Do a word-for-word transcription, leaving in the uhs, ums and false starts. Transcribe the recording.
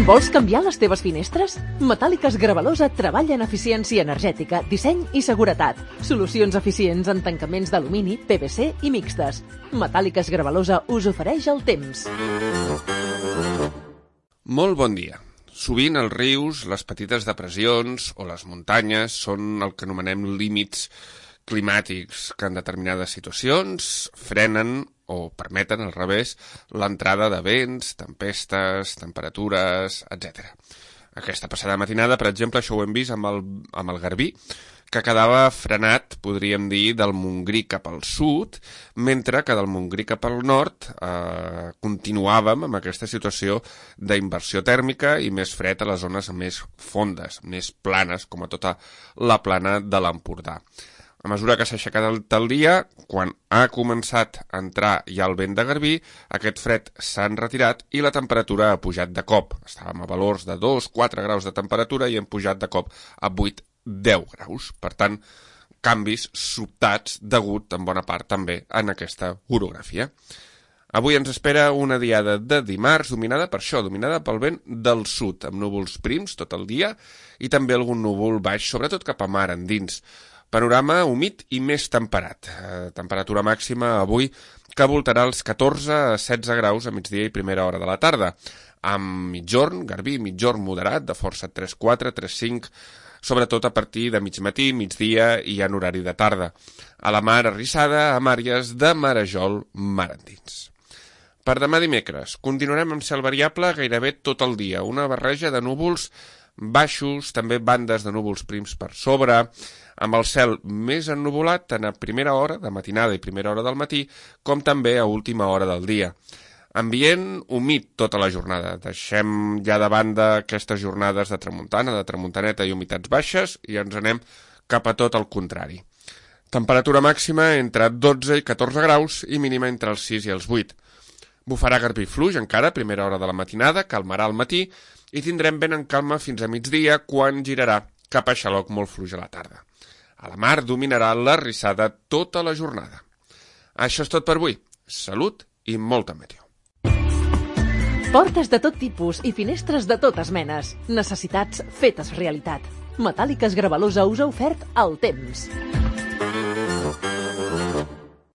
Vols canviar les teves finestres? Metàl·liques Gravalosa treballa en eficiència energètica, disseny i seguretat. Solucions eficients en tancaments d'alumini, P V C i mixtes. Metàl·liques Gravalosa us ofereix el temps. Molt bon dia. Sovint els rius, les petites depressions o les muntanyes són el que anomenem límits climàtics que en determinades situacions frenen o permeten, al revés, l'entrada de vents, tempestes, temperatures, etcètera. Aquesta passada matinada, per exemple, això ho hem vist amb el, amb el Garbí, que quedava frenat, podríem dir, del Montgrí cap al sud, mentre que del Montgrí cap al nord eh, continuàvem amb aquesta situació d'inversió tèrmica i més fred a les zones més fondes, més planes, com a tota la plana de l'Empordà. A mesura que s'ha aixecat el, el dia, quan ha començat a entrar ja el vent de Garbí, aquest fred s'ha retirat i la temperatura ha pujat de cop. Estàvem a valors de dos a quatre graus de temperatura i hem pujat de cop a vuit a deu graus. Per tant, canvis sobtats degut en bona part també en aquesta orografia. Avui ens espera una diada de dimarts dominada per això, dominada pel vent del sud, amb núvols prims tot el dia i també algun núvol baix, sobretot cap a mar endins. Panorama humit i més temperat. Eh, temperatura màxima avui que voltarà els catorze a setze graus a migdia i primera hora de la tarda. Amb mitjorn, Garbí, mitjorn moderat, de força tres quatre, tres cinc, sobretot a partir de mig matí, migdia i en horari de tarda. A la mar arrissada, amb àrees de marejol mar endins. Per demà dimecres, continuarem amb cel variable gairebé tot el dia. Una barreja de núvols baixos, també bandes de núvols prims per sobre, amb el cel més ennuvolat tant a primera hora de matinada i primera hora del matí, com també a última hora del dia. Ambient humit tota la jornada. Deixem ja de banda aquestes jornades de tramuntana, de tramuntaneta i humitats baixes i ens anem cap a tot el contrari. Temperatura màxima entre dotze i catorze graus i mínima entre els sis i els vuit. Bufarà Garbí fluix encara a primera hora de la matinada, calmarà al matí i tindrem vent en calma fins a migdia quan girarà cap a xaloc molt fluix a la tarda. A la mar dominarà la rissada tota la jornada. Això és tot per avui. Salut i molta meteor. Portes de tot tipus i finestres de totes menes. Necessitats fetes realitat. Metàl·liques Gravalosa us ha ofert el temps.